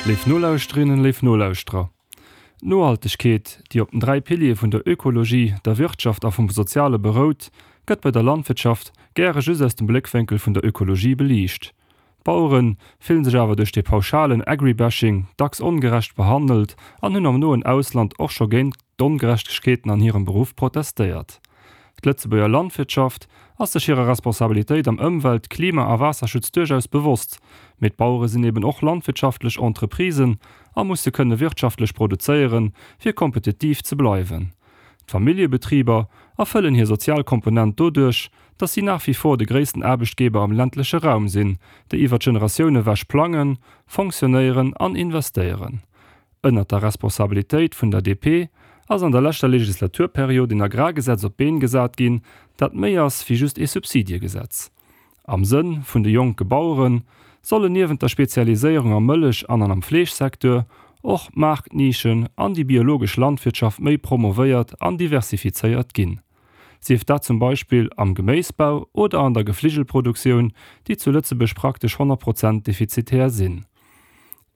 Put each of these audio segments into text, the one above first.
Léif Nolauschterinnen, léif Nolauschterer, d'Nohaltegkeet, déi op den 3 Piliere vun der Ökologie, der Wirtschaft a vum Soziale berout, gëtt bei der Landwirtschaft gäre just aus dem Bléckwénkel vun der Ökologie beliicht. D'Bauere fillen sech awer duerch dee pauschalen Agribashing dacks ongerecht behandelt an hunn am noen Ausland och scho géint d'Ongerechtegkeeten an hirem Beruff protestéiert. D'Lëtzebuerger Landwirtschaft ass sech hirer Responsabilitéit am Ëmwelt-, Klima a Waasserschutz duerchaus bewosst, mee d'Bauere sinn eben och landwirtschaftlech Entreprisen a musse kënne wirtschaftlech produzéieren, fir kompetitiv ze bleiwen. D'Familljebetriber erfëllen hir sozial Komponent doduerch, datt si nach wie vor de gréissten Aarbechtgeber am ländleche Raum sinn, déi iwwer d'Generatioune ewech plangen, fonctionnéieren an investéieren. Ënnert der Responsabilitéit vun der DP ass an der leschter Legislaturperiod een Agrargesetz op d'Been gesat ginn, dat méi ass wéi just ee Subsidiegesetz. Am Sënn vun de jonke Bauere sollen niewent der Spezialiséierung am Mëllech an an am Fleeschsecteur och d'Maartnischen an déi biologesch Landwirtschaft méi promovéiert an diversifizéiert ginn. Sief dat zum Beispill am Geméisbau oder an der Gefligelproduktioun, déi zu Lëtzebuerg praktesch 100 Prozent defizitär sinn.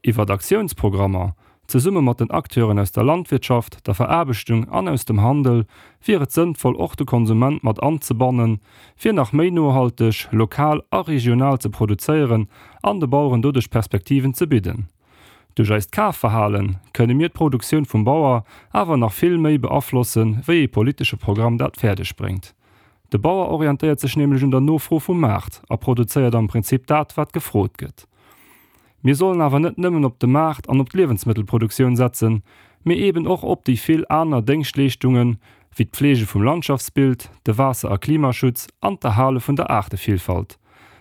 Iwwert Aktiounsprogrammer, zesumme mat den Acteuren aus der Landwirtschaft, der Veraarbechtung an aus dem Handel, wier et sënnvoll och de Konsument mat anzebannen, fir nach méi nohalteg, lokal a regional ze produzéieren an de Baueren doduerch Perspektiven ze bidden. Duerch eist Kafverhale kënne mir d'Produktioun vum Bauer awer nach vill méi beaflossen, wéi ee politesche Programm dat fäerdeg bréngt. De Bauer orientéiert sech nämlech un der Nofro vum Maart a produzéiert am Prinzip dat, wat gefrot gëtt. Mir sollen awer net nëmmen op de Maart an op d'Liewensmëttelproduktioun setzen, mee eeben och op déi vill aner Déngschtleeschtungen, wéi d'Pflege vum Landschaftsbild, de Waasser a Klimaschutz an d'Erhale vun der Aartevillfalt.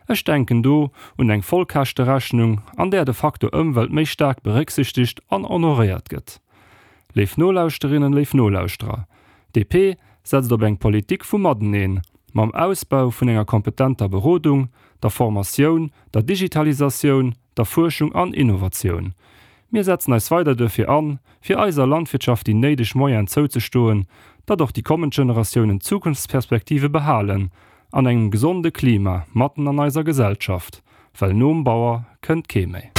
Ech denken do un eng Vollkäschterechnung, an där de Faktor Ëmwelt méi staark berécksichtegt an honoréiert gëtt. Léif Nolauschterinnen, léif Nolauschterer, DP setzt op eng Politik vum Mateneen, mam Ausbau vun enger kompetenter Berodung, der Formatioun, der Digitalisatioun, der Fuerschung an Innovatioun. Mir setzen eis weider duerfir an, fir eiser Landwirtschaft déi néideg Moyenen zouzestoen, datt och déi kommend Generatiounen Zukunftsperspektive behalen an engem gesonde Klima matten an eiser Gesellschaft, well nom Bauer kënnt kee méi.